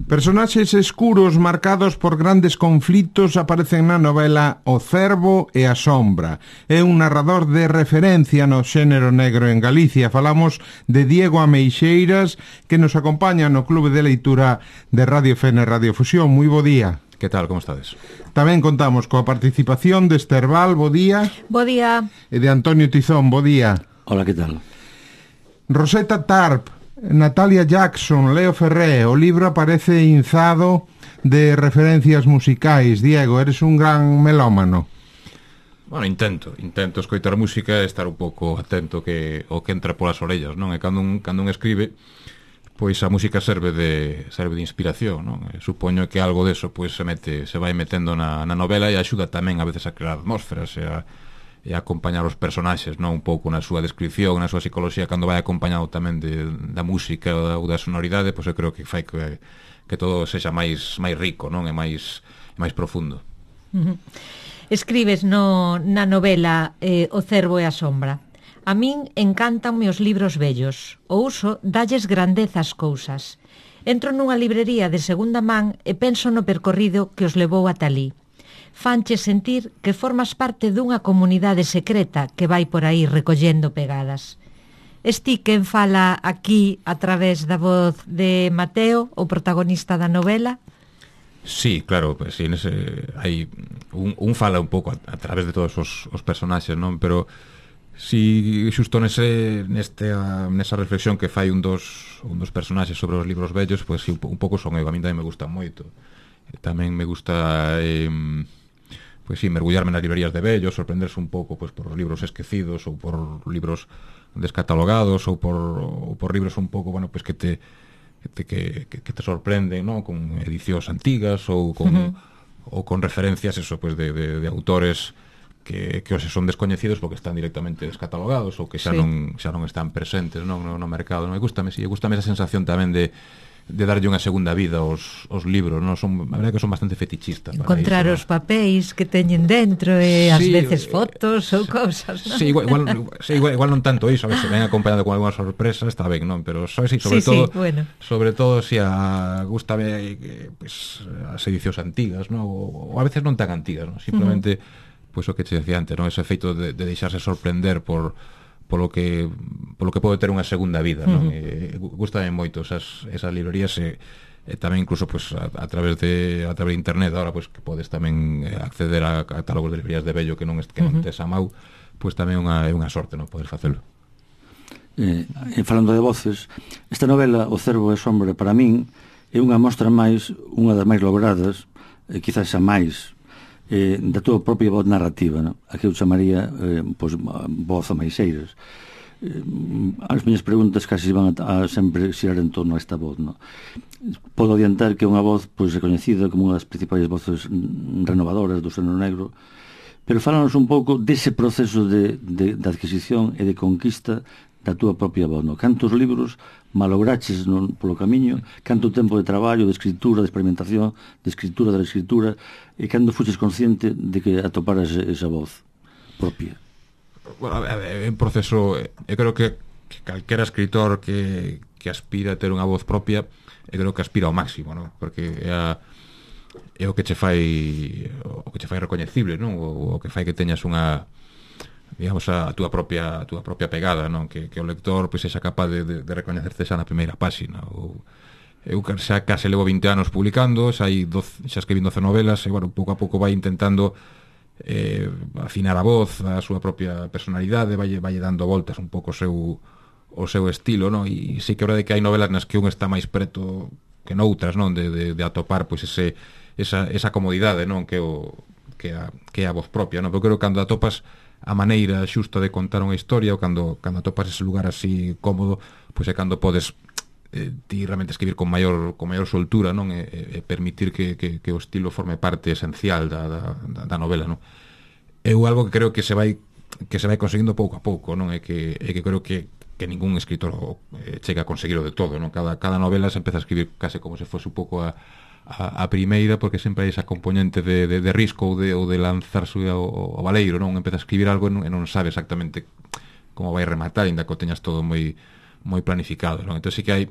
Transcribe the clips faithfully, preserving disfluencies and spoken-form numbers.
Personaxes escuros marcados por grandes conflitos aparecen na novela O Cervo e a Sombra. É un narrador de referencia no xénero negro en Galicia. Falamos de Diego Ameixeiras, que nos acompaña no Clube de Leitura de Radio Fene Radio Fusión. Moi bo día. Que tal, como estades? Tamén contamos coa participación de Esther Val, bo día. Bo día. E de Antonio Tizón, bo día. Hola, que tal? Rosetta Tarp, Natalia Jackson, Leo Ferré. O libro aparece inzado de referencias musicais. Diego, eres un gran melómano. Bueno, intento, intento escoitar música e estar un pouco atento que o que entra polas orellas, non? E cando un, cando un escribe, pois a música serve de serve de inspiración, non? E supoño que algo deso pois se mete, se vai metendo na, na novela e axuda tamén a veces a crear atmósferas e a e acompañar os personaxes, non, un pouco na súa descripción, na súa psicología, cando vai acompañado tamén de, da música ou da sonoridade, pois eu creo que fai que, que todo sexa máis máis rico, non, e máis máis profundo. Uh-huh. Escribes no, na novela eh, O Cervo e a Sombra. A min encantanme os libros vellos. O uso dalles grandeza ás cousas. Entro nunha librería de segunda man e penso no percorrido que os levou ata alí. Fanche sentir que formas parte dunha comunidade secreta que vai por aí recollendo pegadas. Esti quen fala aquí a través da voz de Mateo, o protagonista da novela? Sí, claro, pues, sí, nese, hai un, un fala un pouco a, a través de todos os, os personaxes, non? Pero si xusto nese, neste, a, nesa reflexión que fai un dos, un dos personaxes sobre os libros vellos, pues, sí, un, un pouco son eu, a mí tamén me gusta moito. Tamén me gusta... Eh, pois sí, mergullarme nas librerías de vellos, sorprenderse un pouco pois, por libros esquecidos ou por libros descatalogados ou por, ou por libros un pouco, bueno, pois que te que te, que, que te sorprenden, ¿no? Con edicións antigas ou con, uh-huh. ou con referencias eso, pois, de, de, de autores que, que os son descoñecidos porque están directamente descatalogados ou que xa, sí. non, xa non están presentes, non, no, no mercado. Non? E gústame, sí, gústame esa sensación tamén de de darlle unha segunda vida aos, aos libros, non? Son, a verdade que son bastante fetichistas. Encontrar os papéis que teñen dentro e ás sí, veces fotos ou cousas, non? Sí, igual, igual, sí, igual, igual non tanto iso, a ver, se ven acompañado con algunha sorpresa, está ben, non? Pero sabes, sí, sobre sí, todo, sí, bueno. sobre todo si a gústame pues, as edicións antigas, non? O, o a veces non tan antigas, non? Simplemente uh-huh. pues o que te decía antes, non? Ese efeito de, de deixarse sorprender por polo que polo que pode ter unha segunda vida, non? Uh-huh. E gústame moito esas esas librerías e, e tamén incluso pues a, a través de a través de internet agora pues que podes tamén acceder a catálogos de librerías de vello que non que non uh-huh. tes a mau, pues tamén unha é unha sorte, non, poder facelo. Eh, falando de voces, esta novela O Cervo e a Sombra para min é unha mostra máis, unha das máis logradas, e quizás a máis Eh, da tua propia voz narrativa, no? A que eu chamaría eh, pois, voz Ameixeiras. Eh, as miñas preguntas casi van a, a sempre xirar en torno a esta voz, no? Podo adiantar que é unha voz pois, reconhecida como unha das principais voces renovadoras do xénero negro, pero fálanos un pouco dese proceso de, de, de adquisición e de conquista da túa propia voz, no? Cantos libros malograches no, polo camiño, canto tempo de traballo, de escritura, de experimentación, de escritura da escritura, e cando fuches consciente de que atoparas esa voz propia? Bueno, é un proceso, eu creo que, que calquera escritor que, que aspira a ter unha voz propia, eu creo que aspira ao máximo, non? Porque é, a, é o que che fai o que che fai recoñecible, non? O, o que fai que teñas unha digamos a túa propia a túa propia pegada, non? Que, que o lector pois sexa capaz de, de, de recoñecerte xa na primeira páxina. Ou eu xa case levo vinte anos publicando, xa hai doce, xa escribí doce novelas e bueno, pouco a pouco vai intentando eh, afinar a voz, a súa propia personalidade, vai vai dando voltas un pouco o seu o seu estilo, non? E sí que é verdade que hai novelas nas que un está máis preto que noutras, non? De, de, de atopar pois ese esa esa comodidade, non? Que o que a que a voz propia, non? Porque creo que cando atopas a maneira xusta de contar unha historia ou cando, cando atopas ese lugar así cómodo, pois é cando podes eh, ti realmente escribir con maior con maior soltura, non? E, e permitir que, que, que o estilo forme parte esencial da, da, da novela, non? É algo que creo que se vai que se vai conseguindo pouco a pouco, non? É que, é que creo que, que ningún escritor eh, chega a conseguirlo de todo, non? Cada, cada novela se empeza a escribir case como se fose un pouco a A, a primeira, porque sempre hai esa componente de, de, de risco ou de, ou de lanzarse ao, ao baleiro, non? Empeza a escribir algo e non, e non sabe exactamente como vai rematar, ainda que o teñas todo moi moi planificado, non? Entón sí que hai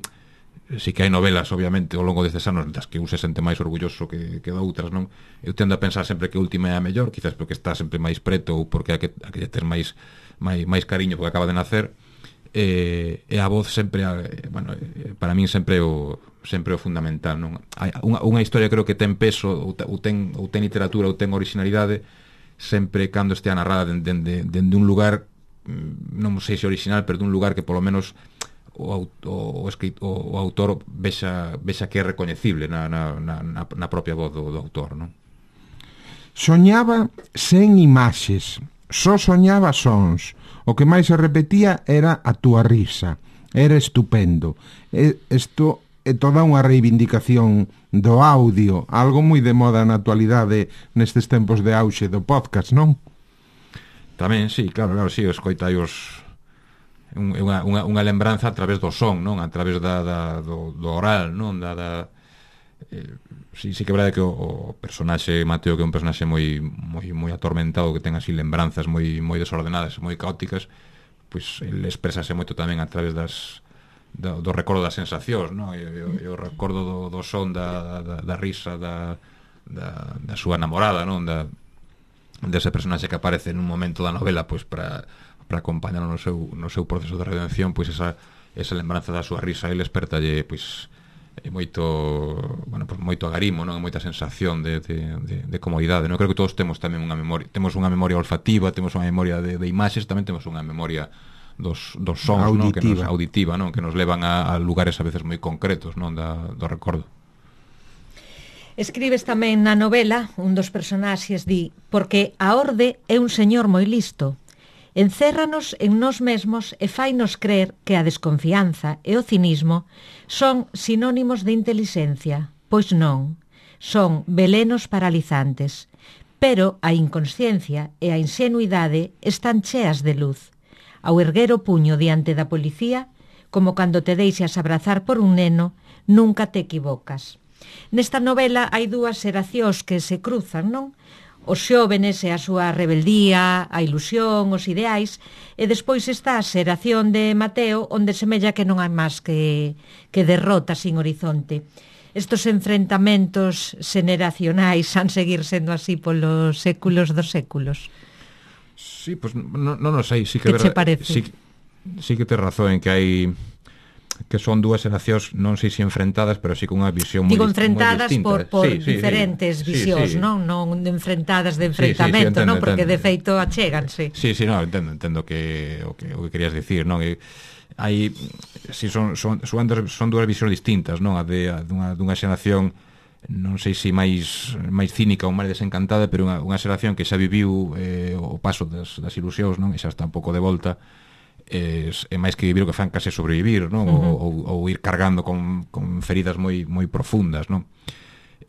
si que hai novelas, obviamente, ao longo destes anos das que un se sente máis orgulloso que, que de outras, non? Eu tendo a pensar sempre que a última é a mellor, quizás porque está sempre máis preto ou porque hai que, hai que ter máis, máis, máis cariño porque acaba de nacer, e, e a voz sempre, bueno, para min sempre o sempre o fundamental, non? Hai unha, unha historia creo que ten peso ou, ou, ten, ou ten literatura ou ten originalidade sempre cando estea narrada dende, dende, dende un lugar, non sei se original, pero dun lugar que polo menos o, o, o, escritor, o autor vexa, vexa que é recoñecible na, na, na, na propia voz do, do autor, non? Soñaba sen imaxes, só soñaba sons. O que máis se repetía era a túa risa. Era estupendo. E isto é toda unha reivindicación do audio, algo moi de moda na actualidade nestes tempos de auxe do podcast, non? Tamén, sí, claro, claro, sí, escoitai os unha, unha, unha lembranza a través do son, non? A través da, da, do, do oral, non? Da, da, eh, sí, sí que é verdade que o, o personaxe Mateo, que é un personaxe moi, moi, moi atormentado, que ten así lembranzas moi, moi desordenadas, moi caóticas, pois ele expresase moito tamén a través das do, do recordo das sensacións, non? Eu, eu, eu recordo do, do son da, da, da risa da, da, da súa namorada, non? Da, dese personaxe que aparece nun momento da novela, pois para para acompañar no seu, no seu proceso de redención, pois esa, esa lembranza da súa risa ele espertalle pois moito, bueno, pois moito agarimo, non? Moita sensación de, de, de, de comodidade, non? Creo que todos temos tamén unha memoria, temos unha memoria olfativa, temos unha memoria de, de imaxes, tamén temos unha memoria dos, dos sons, non? Que nos, auditiva, non? Que nos levan a, a lugares a veces moi concretos, non? Da, do recordo. Escribes tamén na novela, un dos personaxes di: porque a orde é un señor moi listo. Encérranos en nós mesmos e fainos crer que a desconfianza e o cinismo son sinónimos de intelixencia, pois non, son velenos paralizantes, pero a inconsciencia e a ingenuidade están cheas de luz. Ao erguer o puño diante da policía, como cando te deixas abrazar por un neno, nunca te equivocas. Nesta novela hai dúas xeracións que se cruzan, non? Os xóvenes e a súa rebeldía, a ilusión, os ideais, e despois está a xeración de Mateo, onde semella que non hai máis que, que derrota sin horizonte. Estos enfrentamentos xeneracionais han seguir sendo así polos séculos dos séculos. Sí, pois pues, non no, no sei, sí que, que ver, che parece? Sí, sí que tes razón en que hai que son dúas xeracións, non sei se enfrentadas, pero sí con unha visión moi distinta. Digo, enfrentadas por, por sí, sí, diferentes sí, visións, sí, sí. non? Non enfrentadas de enfrentamento, sí, sí, sí, entendo, non? Porque entendo. de feito achéganse. Sí, sí, no, entendo, entendo que o que, o que querías dicir, non? E, hai, si son, son, son, son dúas visións distintas, non? A de a dunha, dunha xeración, non sei se máis máis cínica ou máis desencantada, pero unha, unha xeración que xa viviu eh, o paso das, das ilusións, non? E xa está un pouco de volta. É, é máis que vivir o que fan case sobrevivir, non? Uh-huh. ou, ou ir cargando con, con feridas moi moi profundas, non?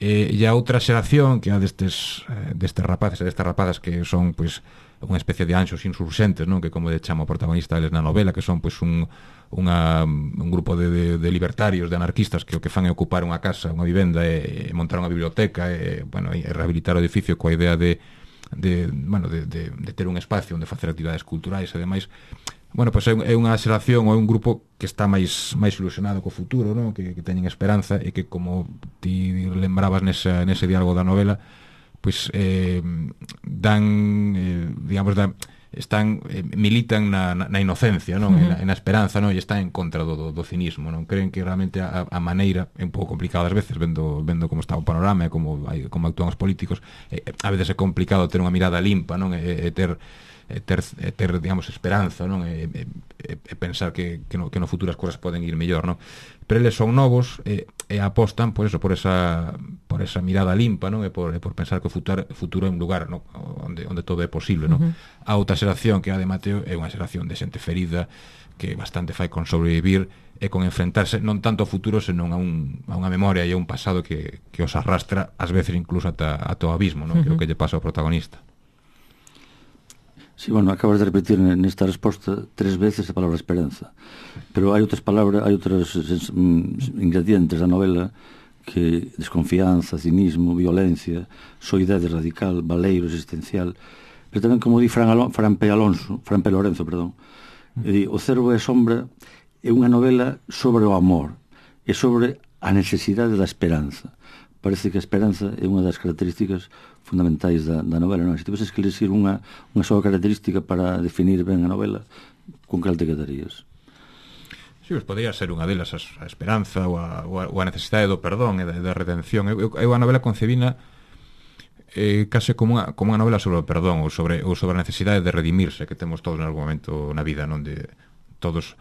E, e a outra xeración que é a destes, destes rapaces e destas rapazas que son, pois, unha especie de anxos insurxentes, non? Que como de chama o protagonista eles na novela, que son, pois, un, unha, un grupo de, de, de libertarios, de anarquistas que o que fan é ocupar unha casa, unha vivenda e, e montar unha biblioteca e, bueno, e rehabilitar o edificio coa idea de, de, bueno, de, de, de ter un espacio onde facer actividades culturais e demais. Bueno, pois é unha xeración ou é un grupo que está máis máis ilusionado co futuro, non? Que, que teñen esperanza e que, como ti lembrabas nesa, nese diálogo da novela, pois eh, dan, eh, digamos, dan, están eh, militan na, na, na inocencia, non? Uh-huh. En, na, en a esperanza, non? E están en contra do, do, do cinismo, non? Creen que realmente a, a maneira é un pouco complicada ás veces, vendo, vendo como está o panorama e como, hai, como actúan os políticos. Eh, a veces é complicado ter unha mirada limpa, non? E, e ter E ter, e ter, digamos, esperanza, non? E, e, e pensar que, que, no, que no futuro as cousas poden ir mellor, non? Pero eles son novos e, e apostan por eso, por esa por esa mirada limpa, non? E por, e por pensar que o futuro, futuro é un lugar, non? Onde, onde todo é posible, non? Uh-huh. A outra xeración que é a de Mateo é unha xeración de xente ferida que bastante fai con sobrevivir e con enfrentarse non tanto ao futuro, senón a, un, a unha memoria e a un pasado que, que os arrastra ás veces incluso ata, ata o abismo, non? Uh-huh. Que é o que lle pasa ao protagonista. Sí, bueno, acabas de repetir nesta resposta tres veces a palabra esperanza, pero hai outras palabras, hai outros ingredientes da novela que desconfianza, cinismo, violencia, soidade radical, baleiro existencial, pero tamén, como di Fran, Alon, Fran P. Alonso, Fran P. Lorenzo, perdón, e di, O cervo e a sombra é unha novela sobre o amor, e sobre a necesidade da esperanza. Parece que a esperanza é unha das características fundamentais da, da novela, non? Se tiveses que elegir unha, unha soa característica para definir ben a novela, con cal te quedarías? Sí, pues podría ser unha delas a esperanza ou a, ou a necesidade do perdón e da, da redención. Eu, eu a novela concebina eh, case como unha, como unha novela sobre o perdón ou sobre, ou sobre a necesidade de redimirse que temos todos en algún momento na vida, non? De todos,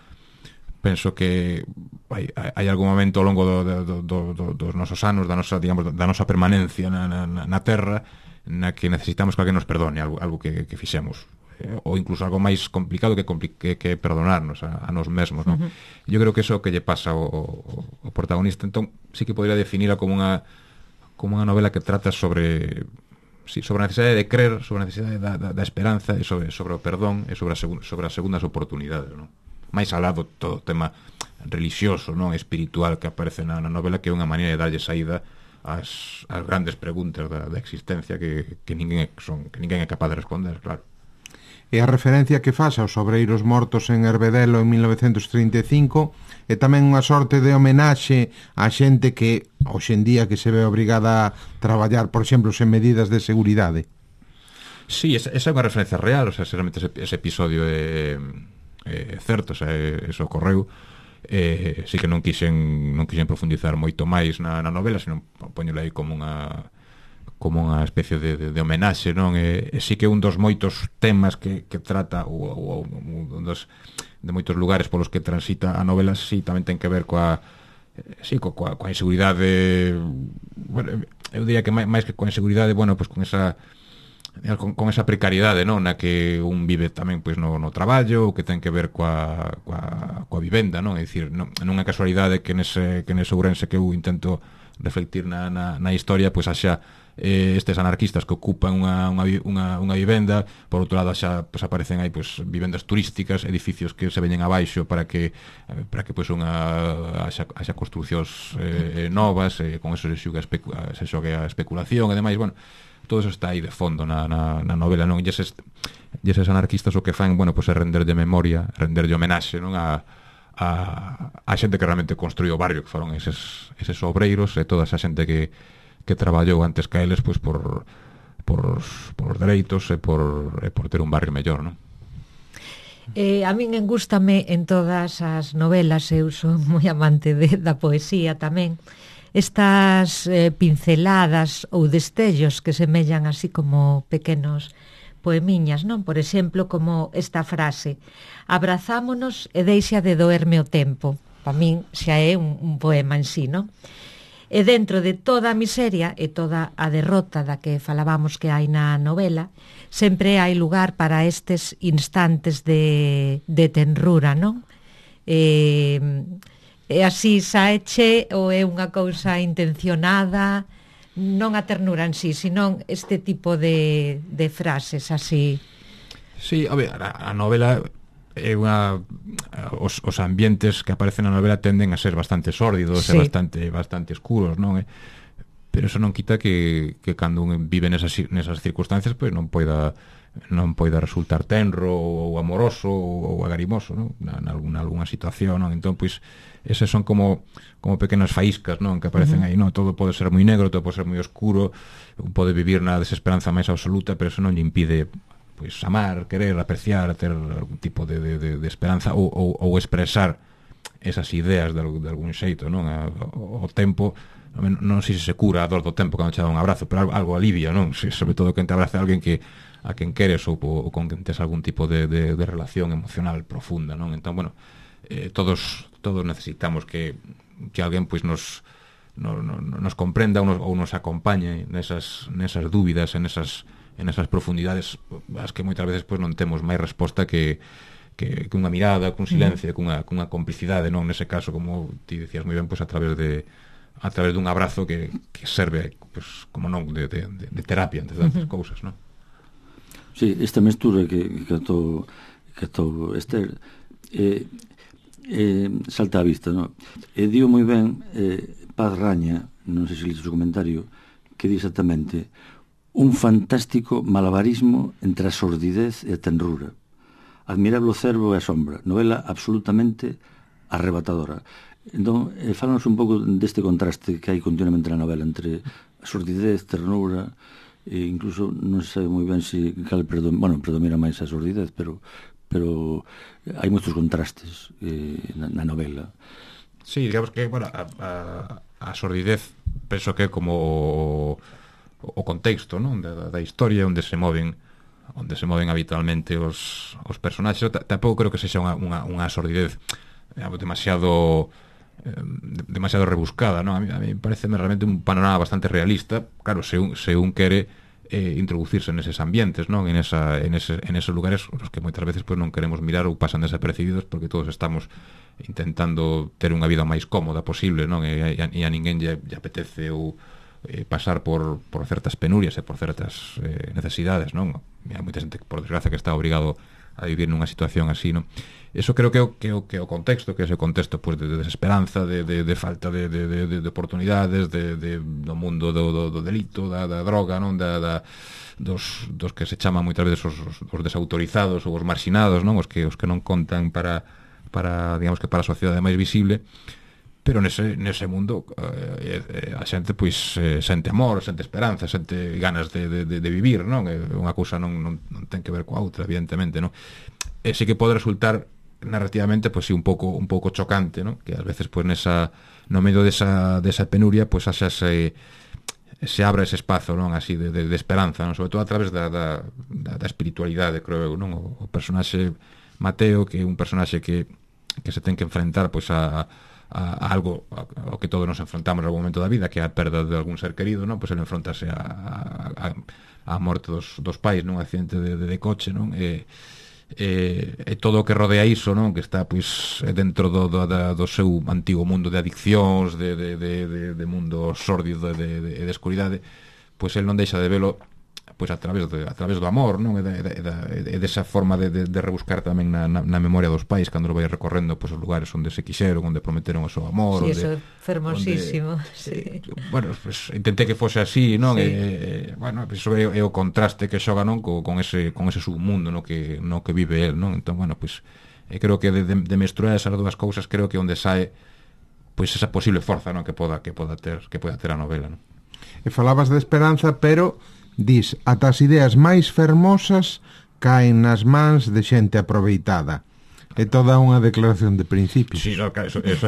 penso que hai, hai algún momento ao longo do, do, do, do, dos nosos anos, da nosa, digamos, da nosa permanencia na, na, na Terra, na que necesitamos que alguén nos perdone algo, algo que, que fixemos, ou incluso algo máis complicado que, que, que perdonarnos a, a nos mesmos, non? Uh-huh. Eu creo que eso que lle pasa ao, ao protagonista. Entón, sí que podría definirla como unha como unha novela que trata sobre sí, sobre a necesidade de creer, sobre a necesidade da, da, da esperanza e sobre, sobre o perdón e sobre, a segun, sobre as segundas oportunidades, non? Máis alá do todo o tema religioso, non, espiritual que aparece na, na novela, que é unha maneira de darlle saída ás, ás grandes preguntas da, da existencia que, que, ninguén é, son, que ninguén é capaz de responder, claro. E a referencia que faz aos obreiros mortos en Herbedelo en mil novecentos trinta e cinco é tamén unha sorte de homenaxe á xente que hoxe en día que se ve obrigada a traballar, por exemplo, sen medidas de seguridade. Sí, esa, esa é unha referencia real, o sea, realmente ese, ese episodio é, é certo, o sea, eso ocorreu. Eh, sí que non quixen non quixen profundizar moito máis na, na novela, senón poñela aí como unha como unha especie de, de, de homenaxe, non? E, e sí que un dos moitos temas que, que trata ou, ou, un dos de moitos lugares polos que transita a novela, sí, tamén ten que ver coa sí, coa, coa inseguridade, bueno, eu diría que máis que coa inseguridade, bueno, pues con esa con, con esa precariedade, non? Na que un vive tamén pois no, no traballo, que ten que ver coa, coa, coa vivenda, non? É dicir, non, non é casualidade que nese, que nese Ourense que eu intento reflectir na, na, na historia, pois haxa eh, estes anarquistas que ocupan unha, unha, unha, unha vivenda, por outro lado xa pues, aparecen aí pues, vivendas turísticas, edificios que se veñen abaixo para que para que pues, unha haxa, haxa construcións eh, novas, eh, con eso se xoga, especu se xoga a especulación e demais, bueno, todo eso está aí de fondo na, na, na novela, non? E eses, e eses anarquistas o que fan, bueno, pues, é render de memoria, render de homenaxe, non? A, a, a xente que realmente construiu o barrio, que foron eses, eses obreiros e toda esa xente que que traballou antes que eles pois por por por os dereitos e por e por ter un barrio mellor, non? Eh, a min engústame en todas as novelas, eu son moi amante de, da poesía tamén, estas eh, pinceladas ou destellos que semellan así como pequenos poemiñas, non? Por exemplo, como esta frase: abrazámonos e deixa de doerme o tempo. Para min xa é un, un poema en sí, non? E dentro de toda a miseria e toda a derrota da que falábamos que hai na novela, sempre hai lugar para estes instantes de, de tenrura, non? E, e así saeche ou é unha cousa intencionada, non a ternura en sí, senón este tipo de, de frases así. Sí, a ver, a, a novela é unha os, os ambientes que aparecen na novela tenden a ser bastante sórdidos, sí, e bastante bastante escuros, non? Pero eso non quita que, que cando un vive nesas, nesas circunstancias, pois non poida non poida resultar tenro ou amoroso ou agarimoso, non? Na, na alguna, alguna situación, non? Entón, pois, eses son como como pequenas faíscas, non? Que aparecen uh-huh. aí, non? Todo pode ser moi negro, todo pode ser moi oscuro, un pode vivir na desesperanza máis absoluta, pero eso non lle impide pois amar, querer, apreciar, ter algún tipo de, de, de, de esperanza ou, ou, ou expresar esas ideas de, de algún xeito, non? O, o tempo, non, non sei se se cura a dor do tempo cando che dá un abrazo, pero algo, algo alivia, non? Se, sobre todo que te abrace a alguén que a quen queres ou, ou con quen tes algún tipo de, de, de relación emocional profunda, non? Entón, bueno, eh, todos todos necesitamos que, que alguén pois nos nos, nos comprenda ou nos, ou nos acompañe nesas, nesas dúbidas, en esas en esas profundidades as que moitas veces pois non temos máis resposta que que, que unha mirada, cun silencio, cunha, cunha complicidade, non? Nese caso, como ti decías moi ben, pois a través de a través dun abrazo que, que serve, pois, como non, de, de, de terapia entre tantas uh-huh. cousas, non? Sí, esta mestura que que atou que atou Esther eh, eh, salta á vista, non? E digo moi ben eh, Paz Raña, non sei se listo o comentario, que di exactamente: un fantástico malabarismo entre a sordidez e a tenrura. Admirable o cervo e a sombra. Novela absolutamente arrebatadora. Entón, eh, fálanos un pouco deste contraste que hai continuamente na novela entre a sordidez, ternura, e incluso non se sabe moi ben se cal predom bueno, predomina máis a sordidez, pero pero hai moitos contrastes eh, na, na novela. Sí, digamos que, bueno, a, a, a sordidez penso que é como o, o contexto, non? Da, da historia onde se moven onde se moven habitualmente os, os personaxes. Tampouco creo que sexa unha, unha, unha sordidez digamos, demasiado eh, demasiado rebuscada, non? A mí, a mí parece realmente un panorama bastante realista. Claro, se un, se un quere eh, introducirse neses ambientes, non? En, esa, en, ese, en esos lugares os que moitas veces pues, non queremos mirar ou pasan desapercibidos porque todos estamos intentando ter unha vida máis cómoda posible, non? E, e, a, e a ninguén lle, lle apetece ou eh, pasar por, por certas penurias e por certas eh, necesidades, non? Hai moita xente, por desgracia, que está obrigado a vivir nunha situación así, non? Eso creo que é o, que o, que o contexto, que é ese contexto pues, de, de desesperanza, de, de, de falta de, de, de, de oportunidades, de, de, do mundo do, do, do delito, da, da droga, non? Da, da, dos, dos que se chaman moitas veces os, os, os desautorizados ou os marxinados, non? Os que, os que non contan para, para, digamos que para a sociedade máis visible. Pero nese, nese mundo eh, a xente pois eh, sente amor, sente esperanza, sente ganas de, de, de vivir, non? É unha cousa non, non, non ten que ver coa outra, evidentemente, non? E sí que pode resultar narrativamente pois sí un pouco un pouco chocante, non? Que ás veces pois nesa no medio desa desa penuria pois haxa se se abra ese espazo, non? Así de, de, de esperanza, non? Sobre todo a través da, da, da, da espiritualidade, creo eu, non? O, o personaxe Mateo, que é un personaxe que que se ten que enfrentar pois a a, a algo ao que todos nos enfrontamos en algún momento da vida, que é a perda de algún ser querido, non? Pois ele enfrontase a, a, a morte dos, dos pais nun accidente de, de, de coche, non? E, e, e todo o que rodea iso, non? Que está pois dentro do, do, do seu antigo mundo de adiccións, de, de, de, de, de mundo sórdido e de, de, de escuridade, pois el non deixa de velo pois a través de, a través do amor, non? E, de, de, de, de desa forma de, de, de rebuscar tamén na, na, na memoria dos pais cando lo vai recorrendo pois os lugares onde se quixeron, onde prometeron o seu amor, sí, onde, eso é fermosísimo, onde, sí. eh, bueno, pues, intentei que fose así, non? Sí. E, bueno, pues, é, é o contraste que xoga, non? Co, con ese con ese submundo no que no que vive el, non? Entón, bueno, pues eh, creo que de, de, de mesturar esas dúas cousas creo que onde sae pois esa posible forza, non? Que poda que poda ter que poda ter a novela, non? E falabas de esperanza, pero dis, ata as ideas máis fermosas caen nas mans de xente aproveitada. É toda unha declaración de principios. Sí, no, eso, eso,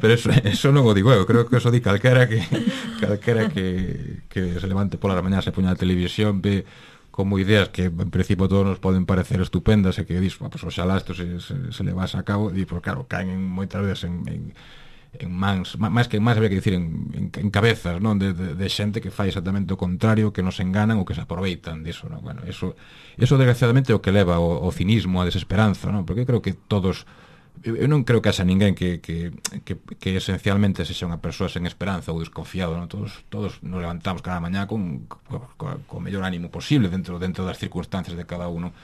pero eso, eso non o digo eu, creo que eso di calquera que calquera que, que se levante pola mañá, se poña a televisión, ve como ideas que en principio todos nos poden parecer estupendas e que dis, pues, oxalá isto se, se, se le vas a cabo, e, pues, claro, caen moitas veces en, en en mans, máis que en mans habría que dicir en, en, en cabezas, non? De, de, de xente que fai exactamente o contrario, que nos enganan ou que se aproveitan diso, non? Bueno, eso, eso desgraciadamente é o que leva o, o cinismo, a desesperanza, non? Porque eu creo que todos, eu, eu non creo que haxa ninguén que, que, que, que esencialmente sexa unha persoa sen esperanza ou desconfiado, non? Todos, todos nos levantamos cada mañá con, con, con o mellor ánimo posible dentro, dentro das circunstancias de cada uno.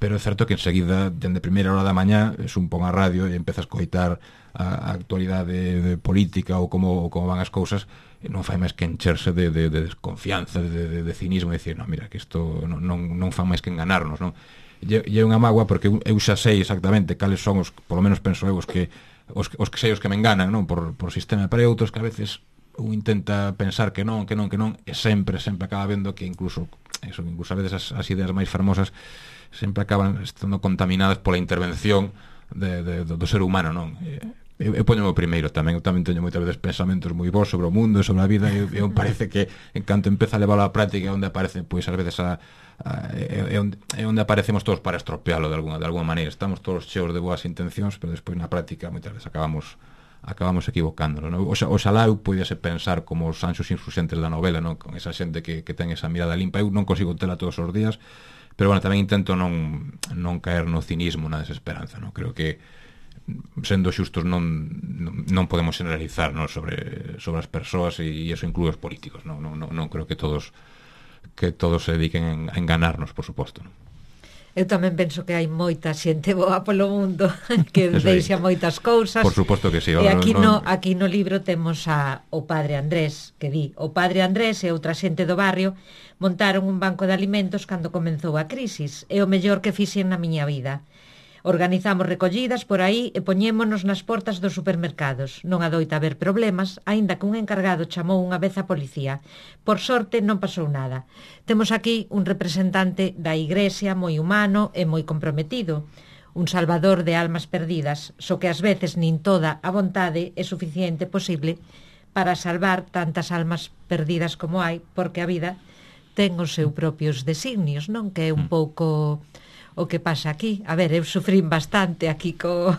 Pero é certo que enseguida, dende a primeira hora da mañá, es un pon a radio e empezas a coitar a, a actualidade de política ou como, ou como van as cousas, e non fai máis que encherse de, de, de desconfianza, de, de, de cinismo, e dicir, non, mira, que isto non, non, non fan máis que enganarnos, non? E é unha mágoa porque eu xa sei exactamente cales son os, polo menos penso eu, os que os, os que sei os que me enganan, non? Por, por sistema, pero outros que a veces un intenta pensar que non, que non, que non, e sempre, sempre acaba vendo que incluso, eso, incluso a veces as, as ideas máis fermosas sempre acaban estando contaminadas pola intervención de, de, do, do ser humano, non? Eu, eu poño o primeiro tamén, eu tamén teño moitas veces pensamentos moi bons sobre o mundo e sobre a vida, e eu parece que en canto empeza a levar a práctica onde aparece, pois ás veces a, a, é, onde, é onde aparecemos todos para estropealo de alguna, de alguna maneira, estamos todos cheos de boas intencións, pero despois na práctica moitas veces acabamos acabamos equivocándonos, non? Oxa, oxalá eu pudiese pensar como os anxos insurxentes da novela, non? Con esa xente que, que ten esa mirada limpa, eu non consigo tela todos os días, pero bueno, tamén intento non, non caer no cinismo, na desesperanza, non? Creo que sendo xustos non, non, non podemos generalizar, non? Sobre, sobre as persoas, e iso inclúe os políticos, non? Non, non, non creo que todos que todos se dediquen a enganarnos, por suposto, non? Eu tamén penso que hai moita xente boa polo mundo que deixa moitas cousas. Por suposto que sí. E aquí no, aquí no libro temos a o padre Andrés, que di, o padre Andrés e outra xente do barrio montaron un banco de alimentos cando comenzou a crisis. É o mellor que fixen na miña vida. Organizamos recollidas por aí e poñémonos nas portas dos supermercados. Non adoita haber problemas, aínda que un encargado chamou unha vez a policía. Por sorte non pasou nada. Temos aquí un representante da Igrexa moi humano e moi comprometido, un salvador de almas perdidas, só que ás veces nin toda a vontade é suficiente posible para salvar tantas almas perdidas como hai, porque a vida ten os seus propios designios, non? Que é un pouco o que pasa aquí. A ver, eu sufrín bastante aquí co,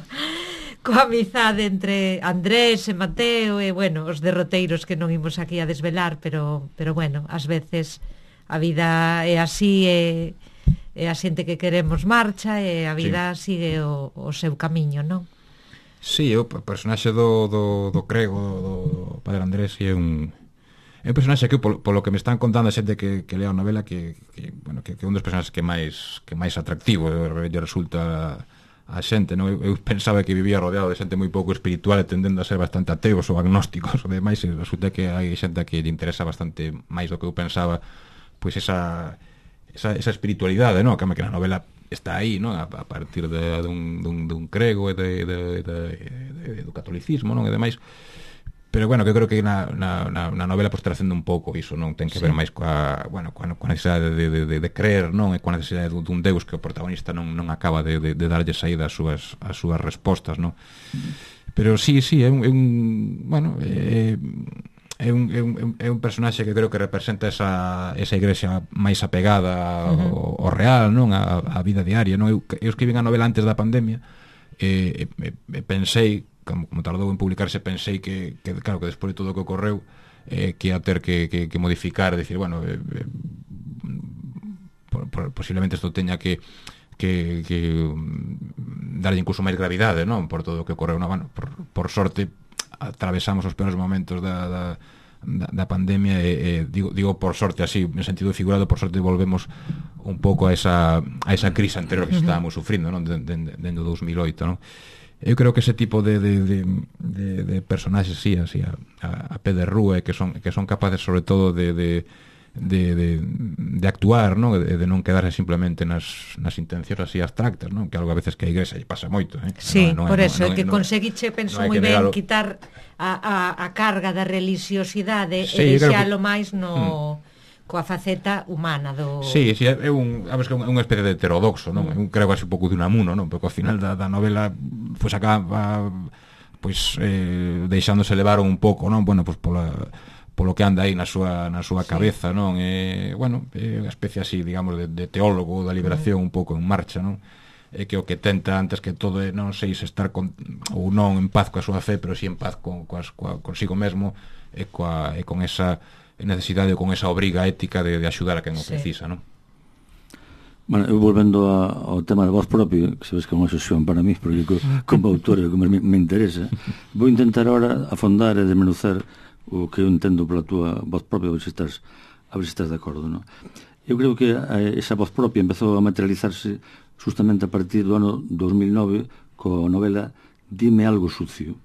coa amizade entre Andrés e Mateo e, bueno, os derroteiros que non imos aquí a desvelar, pero, pero bueno, ás veces a vida é así e, e a xente que queremos marcha e a vida sí. sigue o, o seu camiño, non? Sí, o personaxe do, do, do Crego, do, do Padre Andrés, é un... É un personaxe que, polo, polo que me están contando a xente que, que lea a novela, que, que, bueno, que, que é un dos personaxes que máis que máis atractivo lle resulta a xente, non? Eu, eu pensaba que vivía rodeado de xente moi pouco espiritual e tendendo a ser bastante ateos ou agnósticos, o demais, e resulta que hai xente que lle interesa bastante máis do que eu pensaba, pois esa, esa, esa espiritualidade, non? Que na novela está aí, non? A, a partir de, de, un, de, un, de un crego e de, de, de, de, de, do catolicismo, non? E demais. Pero, bueno, que eu creo que na, na, na novela pois tracendo un pouco iso, non? Ten que sí. ver máis coa, bueno, coa, coa necesidade de, de, de, de creer, non? E coa necesidade dun deus que o protagonista non, non acaba de, de, de darlle saída ás súas, ás súas respostas, non? Pero sí, sí, é un, é un bueno, é, é, un, é, un, é un personaxe que creo que representa esa, esa igrexa máis apegada ao, ao real, non? A, a vida diaria, non? Eu, eu escribín a novela antes da pandemia e, e, e pensei, como, como tardou en publicarse, pensei que, que claro, que despois de todo o que ocorreu eh, que ia ter que, que, que modificar, decir, bueno, eh, eh, por, por, posiblemente isto teña que que, que darlle incluso máis gravidade, non? Por todo o que ocorreu, non? Bueno, por, por sorte atravesamos os peores momentos da, da, da, da pandemia e, e digo, digo por sorte así, en sentido figurado, por sorte volvemos un pouco a esa, a esa crise anterior que estábamos sufrindo, non? Dende de, de, de dous mil oito, non? Eu creo que ese tipo de, de, de, de, de personaxes, sí, así, a, a, a pé de rúa, que son, que son capaces sobre todo de, de, de, de, de actuar, non? De, de non quedarse simplemente nas, nas intencións así abstractas, non? Que algo a veces que a igrexa lle pasa moito, eh? Sí, non, non por é, eso, non, é que non, conseguiche, penso non moi ben, negarlo. quitar a, a, a carga da religiosidade Sí, e que... deixalo máis no... Mm. coa faceta humana do... Sí, sí, é un, a ver, é unha especie de heterodoxo, non? Mm. Un crego así un pouco de Unamuno, non? Porque ao final da, da novela pois acaba pois eh, deixándose levar un pouco, non? Bueno, pois pola polo que anda aí na súa na súa cabeza, sí. Non? E, bueno, é unha especie así, digamos, de, de teólogo da liberación mm. un pouco en marcha, non? É que o que tenta antes que todo é, non sei se estar con, ou non en paz coa súa fe, pero si en paz con, coas, coa, consigo mesmo e, coa, e con esa necesidade ou con esa obriga ética de, de axudar a quen o precisa, non? Bueno, eu volvendo a, ao tema de voz propio, que sabes que é unha sesión para mí, porque co, como autor é o que me, me interesa, vou intentar ahora afondar e desmenuzar o que eu entendo pola túa voz propia, a ver se estás, a ver se estás de acordo, non? Eu creo que esa voz propia empezou a materializarse justamente a partir do ano dos mil nove coa novela Dime algo sucio,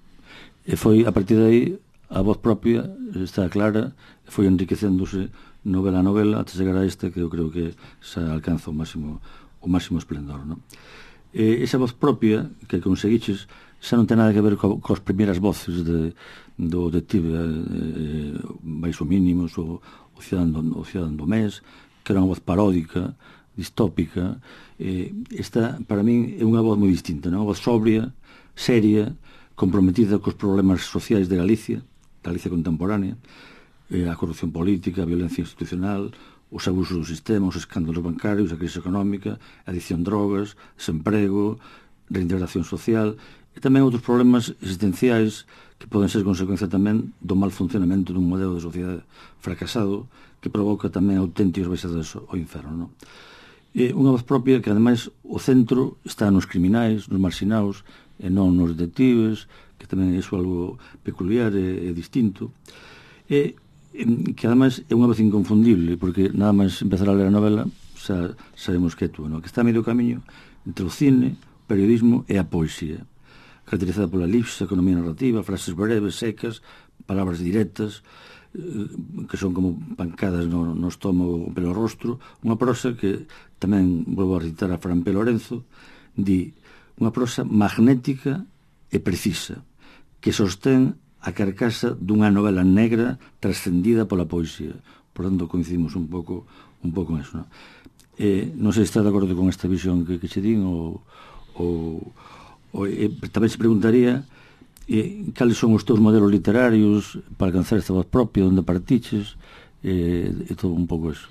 e foi a partir de aí a voz propia está clara, foi enriquecéndose novela a novela até chegar a esta que eu creo que se alcanza o máximo o máximo esplendor, non? E esa voz propia que conseguiches xa non ten nada que ver co, coas primeiras voces de, do detective eh, baixo mínimos ou o cidadán, o cidadán do mes, que era unha voz paródica, distópica. Eh, esta, para min, é unha voz moi distinta, non? Unha voz sobria, seria, comprometida cos problemas sociais de Galicia, Galicia contemporánea, eh, a corrupción política, a violencia institucional, os abusos do sistema, os escándalos bancarios, a crise económica, a adicción a drogas, desemprego, reintegración social, e tamén outros problemas existenciais que poden ser consecuencia tamén do mal funcionamento dun modelo de sociedade fracasado que provoca tamén auténticos baixadas ao inferno, non? E unha voz propia que, ademais, o centro está nos criminais, nos marxinados, e non nos detectives, que tamén é iso algo peculiar e, e distinto, e que ademais é unha voz inconfundible, porque nada máis empezar a ler a novela xa sabemos que é tú, non? Que está a medio camiño entre o cine, o periodismo e a poesía, caracterizada pola elipse, a economía narrativa, frases breves, secas, palabras directas, que son como pancadas no, no estómago pelo rostro, unha prosa que tamén, volvo a recitar a Fran P. Lorenzo, di: unha prosa magnética e precisa, que sostén a carcasa dunha novela negra trascendida pola poesía. Por tanto, coincidimos un pouco un pouco en eso, non? Eh, non sei se está de acordo con esta visión que, que che din, ou, ou, ou eh, tamén se preguntaría eh, cales son os teus modelos literarios para alcanzar esta voz propia, onde partiches, eh, e todo un pouco eso.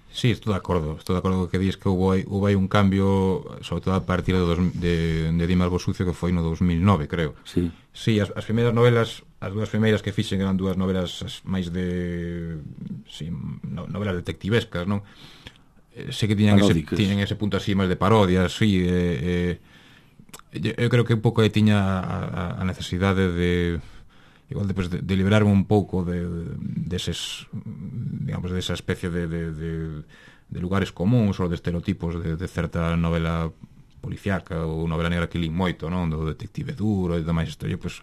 Sí, estou de acordo, estou de acordo que dis que houve, houve un cambio, sobre todo a partir de, dos, de, de Dime algo sucio, que foi no dos mil nove, creo. Sí, sí as, as primeiras novelas, as dúas primeiras que fixen eran dúas novelas máis de sí, no, novelas detectivescas, non? Eh, sei que tiñan ese, tiñan ese punto así máis de parodias, sí, eh, eh, eu creo que un pouco aí tiña a, a necesidade de igual depois de, de liberarme un pouco de, de, deses, digamos, desa especie de, de, de, de lugares comuns ou de estereotipos de, de certa novela policiaca ou novela negra que lín moito, non? Do detective duro e demais historia, pois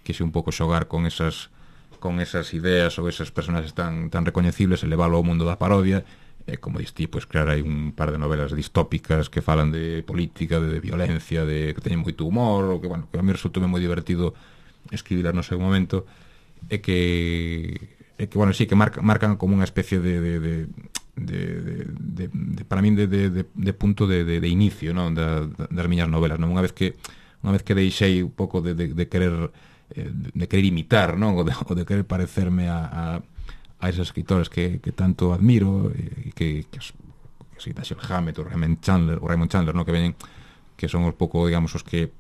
quise un pouco xogar con esas con esas ideas ou esas personaxes tan, tan recoñecibles e leválo ao mundo da parodia e, como diste, pois crear aí un par de novelas distópicas que falan de política, de, de violencia, de que teñen moito humor, ou que, bueno, que a mí resultou moi divertido escribilas no seu momento, e que e que, bueno, sí, que marca, marcan como unha especie de de, de, de, de, de, de para min de, de, de, de punto de, de, de inicio, non, da, das miñas novelas, non? Unha vez que unha vez que deixei un pouco de, de, de querer eh, de querer imitar, non, ou de, ou de querer parecerme a, a, a esos escritores que, que tanto admiro e que, que, que si Dashiell Hammett ou Raymond Chandler, ou Raymond Chandler, non, que veñen, que son un pouco, digamos, os que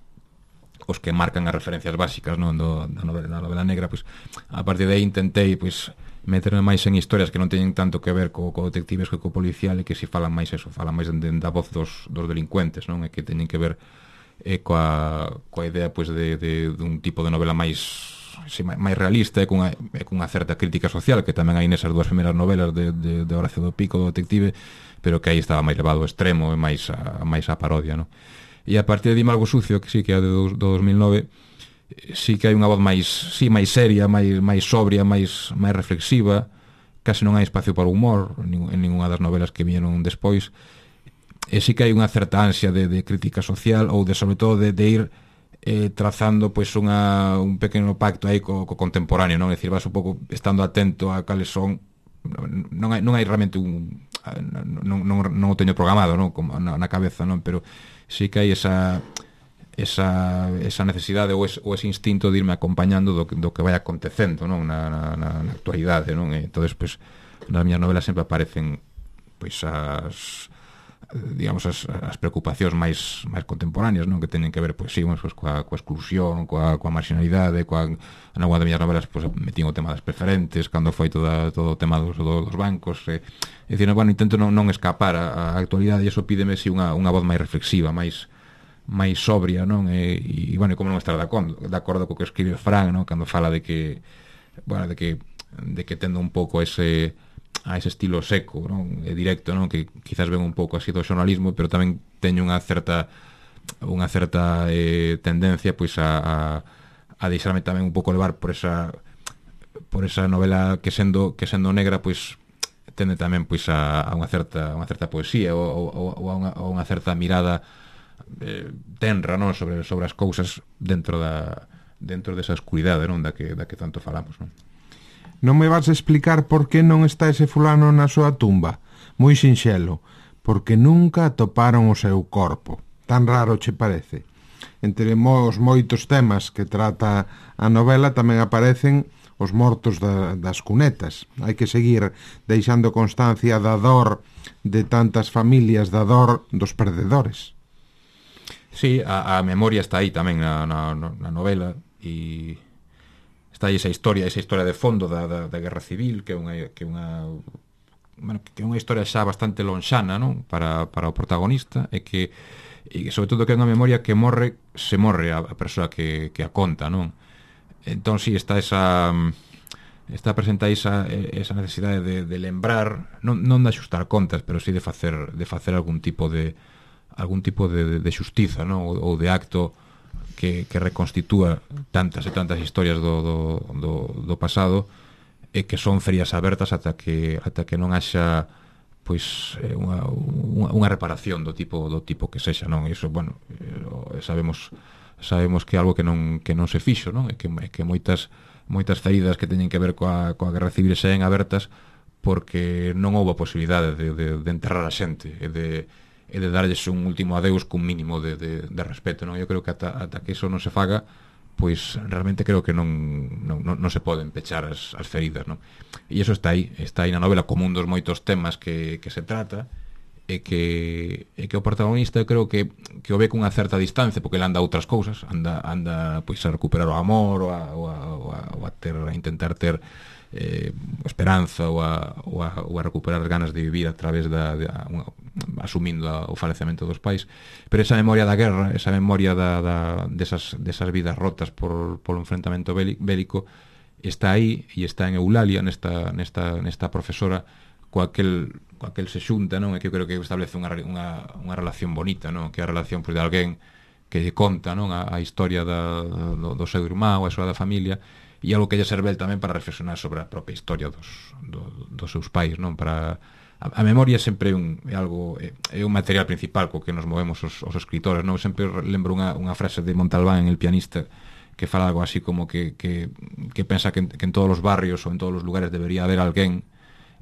os que marcan as referencias básicas, non, do, da, novela, da novela negra, pois a partir de aí intentei pois meterme máis en historias que non teñen tanto que ver co, co detectives que co policial, e que si falan máis eso, falan máis de, de, da voz dos, dos delincuentes, non, e que teñen que ver eh, coa, coa idea pois de, de, de un tipo de novela máis sí, máis realista e cunha, e cunha certa crítica social, que tamén hai nesas dúas primeiras novelas de, de, de Horacio do Pico, do detective, pero que aí estaba máis levado ao extremo e máis a, máis a parodia, non? E a partir de Dime algo sucio, que sí que é do, do dos mil nove, sí que hai unha voz máis, sí, máis seria, máis, máis sobria, máis, máis reflexiva, case non hai espacio para o humor en ninguna das novelas que vieron despois, e sí que hai unha certa ansia de, de crítica social, ou de, sobre todo, de, de ir eh, trazando pois unha, un pequeno pacto aí co, co contemporáneo, non? É dicir, vas un pouco estando atento a cales son, non hai, non hai realmente un, non, non, non o teño programado, non? Como na, na cabeza, non? Pero sí que hai esa esa, esa necesidade ou ese, ou ese instinto de irme acompañando do, do que vai acontecendo, non? Na, na, na actualidade, non? E entonces, pois, nas miñas novelas sempre aparecen pois as digamos as, as preocupacións máis máis contemporáneas, non? Que teñen que ver, pois, sí, pois, coa, coa exclusión, coa, coa marginalidade, coa, en alguna das miñas novelas pois, metín o tema das preferentes, cando foi toda, todo o tema dos, dos bancos, e, e dicir, bueno, intento non, non escapar a, a actualidade, e iso pídeme si unha, unha voz máis reflexiva, máis máis sobria, non? E, e bueno, como non estar de acordo, de acordo co que escribe Fran, non? Cando fala de que, bueno, de que de que tendo un pouco ese a ese estilo seco, non? E directo, non? Que quizás ven un pouco así do xornalismo, pero tamén teño unha certa unha certa eh, tendencia pois a, a, a deixarme tamén un pouco levar por esa por esa novela que sendo que sendo negra, pois tende tamén pois a, a unha certa unha certa poesía ou, ou, ou, a, unha, ou unha certa mirada eh, tenra, non? Sobre sobre as cousas dentro da dentro desa escuridade, non? Da que da que tanto falamos, non? Non me vas a explicar por que non está ese fulano na súa tumba? Moi sinxelo, porque nunca atoparon o seu corpo. Tan raro che parece? Entre os moitos temas que trata a novela tamén aparecen os mortos da, das cunetas. Hai que seguir deixando constancia da dor de tantas familias, da dor dos perdedores. Sí, a, a memoria está aí tamén na, na, na novela, e está aí esa historia, esa historia de fondo da, da, da Guerra Civil, que é unha que é unha bueno, que é unha historia xa bastante lonxana, non? Para, para o protagonista, e que e sobre todo que é unha memoria que morre, se morre a, a persoa que, que a conta, non? Entón, si, sí, está esa está presenta esa, esa necesidade de, de lembrar, non, non de axustar contas, pero si sí de facer de facer algún tipo de algún tipo de, de xustiza, non? Ou, ou de acto que, que reconstitúa tantas e tantas historias do, do, do, do pasado, e que son ferias abertas ata que ata que non haxa pois é unha, unha, unha reparación do tipo do tipo que sexa, non? E iso, bueno, eh, sabemos sabemos que é algo que non que non se fixo, non? E que que moitas moitas feridas que teñen que ver coa coa guerra civil saen abertas porque non houve a posibilidade de, de, de enterrar a xente e de e de darlles un último adeus cun mínimo de, de, de respeto, non? Eu creo que ata, ata que iso non se faga, pois realmente creo que non, non, non, non se poden pechar as, as feridas, non? E iso está aí, está aí na novela como un dos moitos temas que, que se trata, e que, e que o protagonista eu creo que, que o ve cunha certa distancia, porque ele anda a outras cousas, anda, anda pois a recuperar o amor, ou a, ou a, ou a, ou a, ter, a intentar ter eh, esperanza, ou a, ou, a, ou a recuperar as ganas de vivir a través da, de, a, una, asumindo a, o falecemento dos pais, pero esa memoria da guerra, esa memoria da, da, desas, desas vidas rotas por, por un enfrentamento bélico está aí, e está en Eulalia, nesta, nesta, nesta profesora coa aquel, coa aquel se xunta, non? E que eu creo que establece unha, unha, unha relación bonita, non? Que é a relación pois, de alguén que lle conta, non? A, a historia da, do, do seu irmão, a súa da familia, e algo que lle serve tamén para reflexionar sobre a propia historia dos, do, dos seus pais, non? Para a, a memoria sempre é un é algo é, é un material principal co que nos movemos os, os escritores, non? Sempre lembro unha, unha frase de Montalbán en El pianista que fala algo así como que, que, que pensa que en, que en todos os barrios ou en todos os lugares debería haber alguén,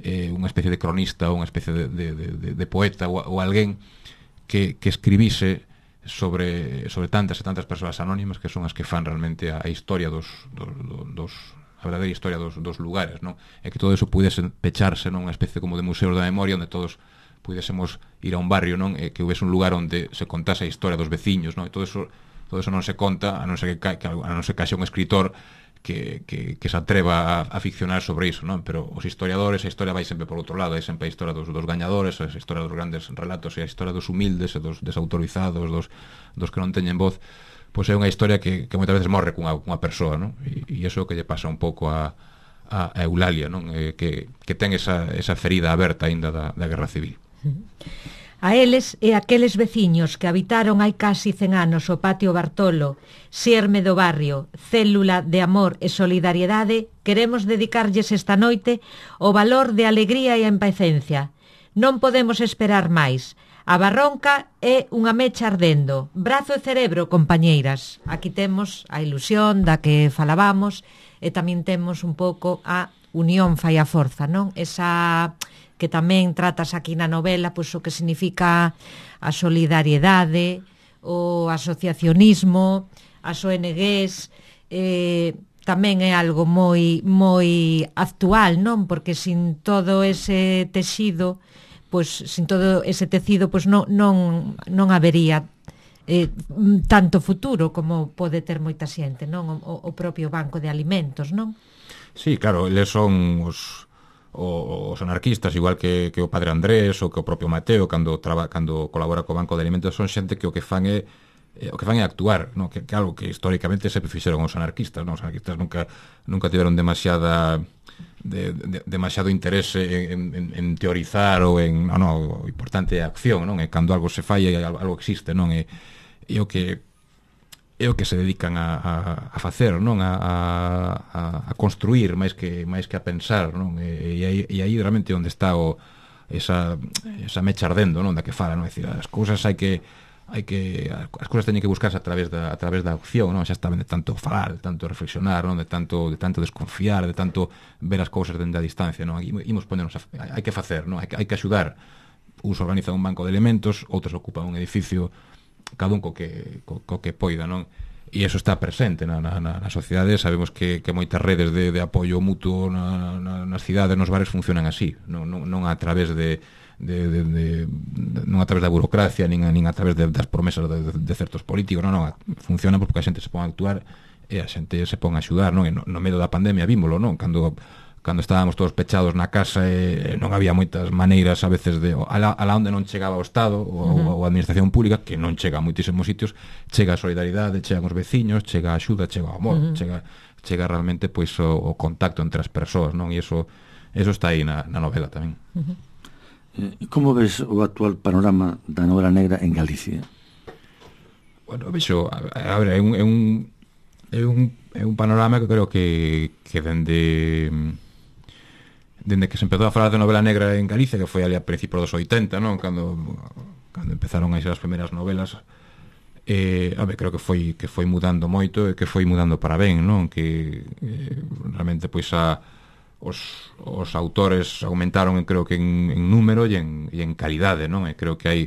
eh, unha especie de cronista ou unha especie de, de, de, de poeta ou, ou alguén que, que escribise sobre, sobre tantas e tantas persoas anónimas que son as que fan realmente a, a historia dos, dos, dos a verdadeira historia dos, dos lugares, non? E que todo eso pudese pecharse nunha especie como de museos da memoria onde todos pudésemos ir a un barrio, non? E que houvese un lugar onde se contase a historia dos veciños, non? E todo eso todo eso non se conta, a non ser que, que a non ser que haxe un escritor que, que, que se atreva a, a ficcionar sobre iso, non? Pero os historiadores, a historia vai sempre por outro lado, hai sempre a historia dos, dos gañadores, a historia dos grandes relatos, e a historia dos humildes e dos desautorizados, dos, dos que non teñen voz, pois é unha historia que, que moitas veces morre cunha, cunha persoa, non? E, e iso que lle pasa un pouco a, a, a Eulalia, non? E que, que ten esa, esa ferida aberta aínda da, da guerra civil. A eles e aqueles veciños que habitaron hai casi cen anos o patio Bartolo, xerme do barrio, célula de amor e solidariedade, queremos dedicarlles esta noite o valor de alegría e a empecencia. Non podemos esperar máis. A barronca é unha mecha ardendo. Brazo e cerebro, compañeiras. Aquí temos a ilusión da que falábamos e tamén temos un pouco a unión fai a forza, non? Esa que tamén tratas aquí na novela, pois o que significa a solidariedade, o asociacionismo, as O N Gs, eh, tamén é algo moi moi actual, non? Porque sin todo ese texido, pois sin todo ese tecido, pois non non non habería eh, tanto futuro como pode ter moita xente, non? O, o propio banco de alimentos, non? Sí, claro, eles son os os anarquistas, igual que, que o padre Andrés ou que o propio Mateo cando traba, cando colabora co Banco de Alimentos, son xente que o que fan é eh, o que fan é actuar, no? que, que algo que históricamente sempre fixeron os anarquistas, non? Os anarquistas nunca nunca tiveron demasiada de, de, demasiado interese en, en, en teorizar ou en, non, non, o importante é a acción, non? E cando algo se falla, algo existe, non? E, e o que é o que se dedican a, a, a facer, non? A, a, a construir máis que máis que a pensar, non? E, e, aí, e aí realmente onde está o esa, esa mecha ardendo, non? Da que fala, non? É dicir, as cousas hai que hai que as cousas teñen que buscarse a través da a través da opción, non? Xa está ben de tanto falar, de tanto reflexionar, non? De tanto de tanto desconfiar, de tanto ver as cousas dende a distancia, non? Aquí imos ponernos a, hai que facer, non? Hai que hai que axudar. Uns organizan un banco de elementos, outros ocupan un edificio, cada un co que, co, co que poida, non? E iso está presente na, na, na sociedade. Sabemos que, que moitas redes de, de apoio mutuo na, na, nas cidades, nos bares funcionan así, non, non, non a través de, de, de, de, de non a través da burocracia, nin a, nin a través de, das promesas de, de, de certos políticos, non, non, funciona porque a xente se pon a actuar e a xente se pon a axudar, non? E no, no medio da pandemia vímolo, non? Cando cando estábamos todos pechados na casa e non había moitas maneiras a veces de ala, ala onde non chegaba o Estado ou, uh-huh. ou a administración pública, que non chega a moitísimos sitios, chega a solidaridade, chegan os veciños, chega a axuda, chega o amor, uh-huh. chega chega realmente pois o, o contacto entre as persoas, non? E iso eso está aí na, na novela tamén. Uh-huh. eh, Como ves o actual panorama da novela negra en Galicia? Bueno, vexo, a, a ver, é un é un é un, é un panorama que creo que que dende dende que se empezou a falar de novela negra en Galicia, que foi ali a principios dos oitenta, non? Cando cando empezaron a ser as primeiras novelas, eh, a ver, creo que foi que foi mudando moito e que foi mudando para ben, non? Que eh, realmente pois a os, os autores aumentaron, creo que en, en número e en, e en calidade, non? E creo que hai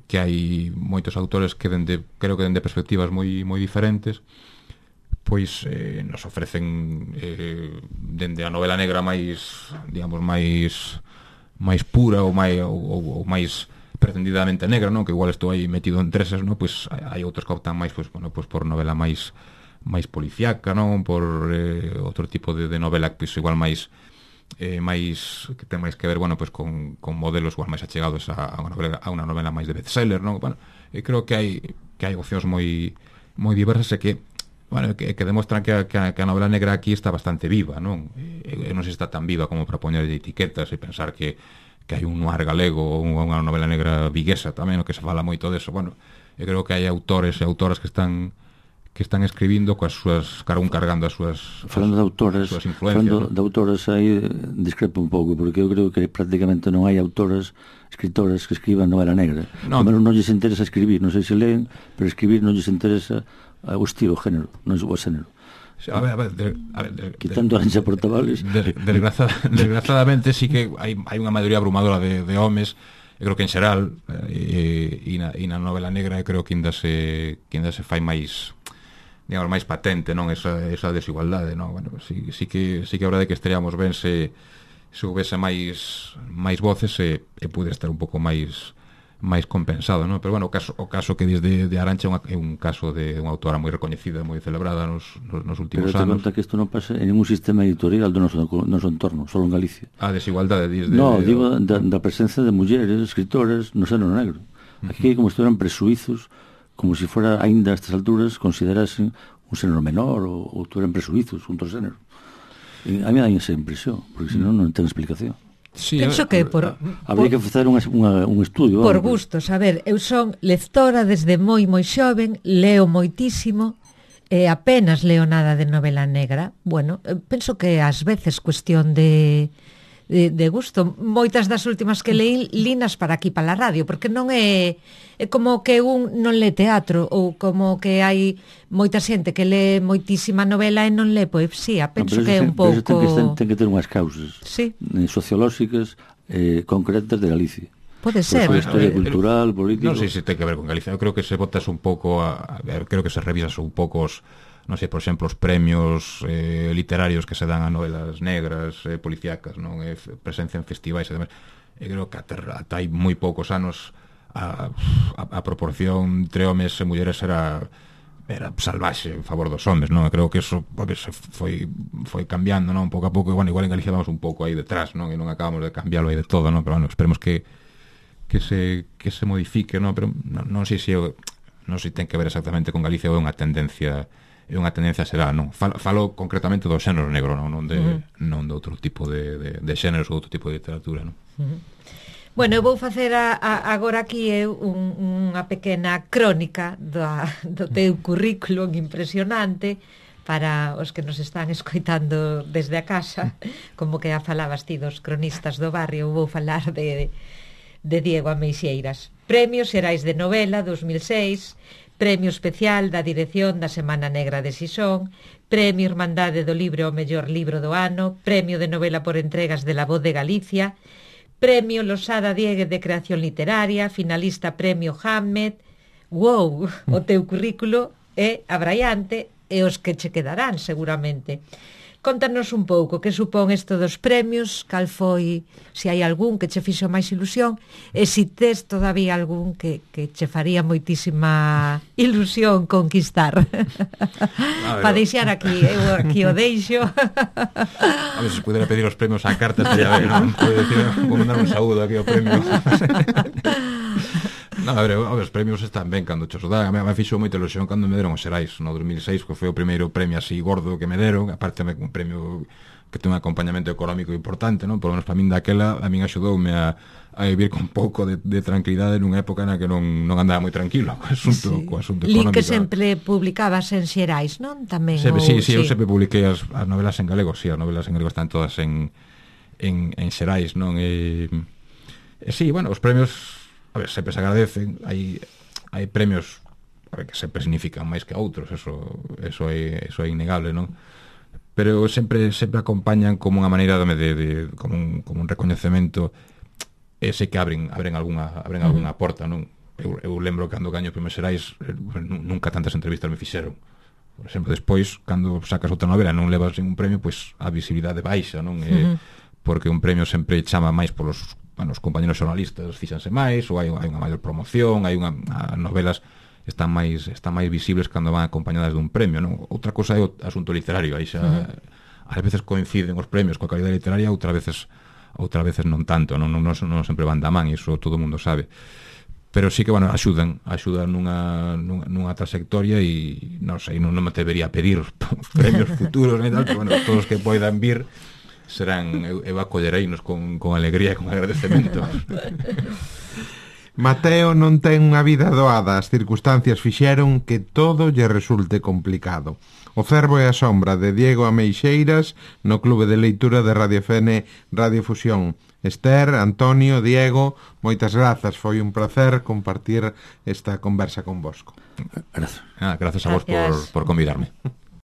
que hai moitos autores que dende, creo que dende perspectivas moi moi diferentes, pois eh, nos ofrecen eh, dende a novela negra máis, digamos, máis máis pura ou máis ou, ou máis pretendidamente negra, non? Que igual estou aí metido en treses, non? Pois hai outros que optan máis, pois, bueno, pois por novela máis máis policiaca, non? Por eh, outro tipo de, de novela pois igual máis eh, máis que ten máis que ver, bueno, pois con, con modelos igual máis achegados a, a unha novela a unha novela máis de bestseller, non? Bueno, e creo que hai que hai opcións moi moi diversas e que bueno, que, que demostran que a, que, a, que a novela negra aquí está bastante viva, non? E, e non se está tan viva como para poñer etiquetas e pensar que, que hai un noir galego ou unha novela negra viguesa tamén, o que se fala moito deso. Bueno, eu creo que hai autores e autoras que están que están escribindo coas súas, cara un cargando as súas falando de autores, súas influencias, falando ¿no? de autores aí discrepo un pouco, porque eu creo que prácticamente non hai autores, escritores que escriban novela negra. No. Primero non lles interesa escribir, non sei se leen, pero escribir non lles interesa o estilo, o género, non é o xénero. A ver, a ver, de, a ver de, quitando a Arancha Portavales, de, desgrazada, desgrazadamente sí que hai, hai unha maioría abrumadora de, de homes. Eu creo que en xeral eh, e, na, e na novela negra eu creo que ainda se que ainda se fai máis, digamos, máis patente, non, esa, esa desigualdade, non? Bueno, sí, sí que sí que a verdade que estaríamos ben se se houvese máis máis voces e, e pude estar un pouco máis máis compensado, non? Pero bueno, o caso o caso que desde de Arancha é, unha, é un caso de unha autora moi recoñecida, moi celebrada nos, nos, nos últimos pero anos. Pero te conta que isto non pasa en ningún sistema editorial do noso, do noso entorno, só en Galicia. A desigualdade desde No, de, digo da, da presencia de mulleres, escritores no xénero negro. Aquí uh -huh. como se eran presuizos, como se si fora aínda a estas alturas considerasen un xénero menor ou, ou tuveran presuizos, un outro xénero. E a mí dá esa impresión, porque senón non ten explicación. Sí, penso que por, habría que facer unha, unha, un estudio por gustos, a ver, eu son lectora desde moi moi xoven, leo moitísimo e apenas leo nada de novela negra. Bueno, penso que ás veces cuestión de de, de gusto. Moitas das últimas que leí linas para aquí, para a radio, porque non é é como que un non lee teatro ou como que hai moita xente que lee moitísima novela e non lee poesía. Penso no, que é un pouco... Pero ten que, ten que ter unhas causas sí. sociolóxicas eh, concretas de Galicia. Pode ser. Por historia cultural, política... Non sei se ten que ver con Galicia. Eu creo que se botas un pouco a, a ver, creo que se revisas un pouco os, non sei, por exemplo, os premios eh, literarios que se dan a novelas negras, eh, policíacas, non, eh, presencia en festivais e demais. Eu creo que ata, ata hai moi poucos anos a, a, a proporción entre homes e mulleres era era salvaxe en favor dos homes, non? Eu creo que eso se foi foi cambiando, non? Pouco a pouco, bueno, igual en Galicia vamos un pouco aí detrás, non? E non acabamos de cambiarlo aí de todo, non? Pero bueno, esperemos que que se que se modifique, non? Pero non, non sei se eu, non sei se ten que ver exactamente con Galicia ou é unha tendencia é unha tendencia será, non? Falo, falo concretamente do xénero negro, non? Non de, uh -huh. non de outro tipo de, de, de xéneros ou outro tipo de literatura, non? Uh -huh. Bueno, eu vou facer a, a, agora aquí eu un, unha pequena crónica do, do teu currículum impresionante para os que nos están escoitando desde a casa, como que a falabas ti dos cronistas do barrio. Eu vou falar de, de Diego Ameixeiras. Premios Xerais de Novela dos mil seis, Premio Especial da Dirección da Semana Negra de Sisón, Premio Irmandade do Libro ao mellor libro do ano, Premio de Novela por entregas de La Voz de Galicia, Premio Losada Dieguez de Creación Literaria, finalista Premio Hamlet. Wow, o teu currículo é abraiante e os que che quedarán seguramente. Contanos un pouco que supón isto dos premios, cal foi, se hai algún que che fixo máis ilusión e se tes todavía algún que, que che faría moitísima ilusión conquistar. Para deixar aquí, eu aquí o deixo. A ver, se pudera pedir os premios á carta estaría ben, non? Pode decir, vou mandar un saúdo aquí ao premio. No, a ver, os premios están ben cando che os dan. A me fixo moita ilusión cando me deron os Xerais no dos mil seis, que foi o primeiro premio así gordo que me deron. Aparte un premio que ten un acompañamento económico importante, non? Por lo menos para min daquela, a min axudoume a, a vivir con pouco de, de tranquilidade nunha época na que non, non andaba moi tranquilo co asunto, sí. co asunto económico. Li que sempre publicabas en Xerais, non? Tamén. Se, ou, sí, sí, sí, eu sempre publiquei as, as novelas en galego, sí, as novelas en galego están todas en en, en xerais, non? E, e sí, bueno, os premios, a ver, sempre se agradecen, hai, hai premios, a ver, que sempre significan máis que outros, eso, eso, é, eso é innegable, non? Pero sempre sempre acompañan como unha maneira de, de, de como, un, como un recoñecemento, ese que abren abren algunha abren algunha porta, non? Eu, eu lembro cando gaño premios xerais, nunca tantas entrevistas me fixeron. Por exemplo, despois, cando sacas outra novela e non levas ningún premio, pois a visibilidade baixa, non? Uh-huh. Eh, porque un premio sempre chama máis polos, bueno, os compañeros xornalistas fixanse máis, ou hai, hai unha maior promoción, hai unha, as novelas están máis están máis visibles cando van acompañadas dun premio, non? Outra cosa é o asunto literario, aí xa uh-huh. ás veces coinciden os premios coa calidade literaria, outras veces outras veces non tanto, non, non, non, non sempre van da man, iso todo o mundo sabe. Pero sí que, bueno, axudan axudan nunha, nunha, nunha trayectoria e non sei, non, non me debería pedir premios futuros e tal, pero bueno, todos os que poidan vir serán, eu, eu acollereinos con, con alegría e con agradecemento. Mateo non ten unha vida doada, as circunstancias fixeron que todo lle resulte complicado. O Cervo e a Sombra, de Diego Ameixeiras, no Clube de Leitura de Radio F N Radio Fusión. Esther, Antonio, Diego, moitas grazas, foi un placer compartir esta conversa con vosco. Gracias. Ah, gracias a vos por, por convidarme.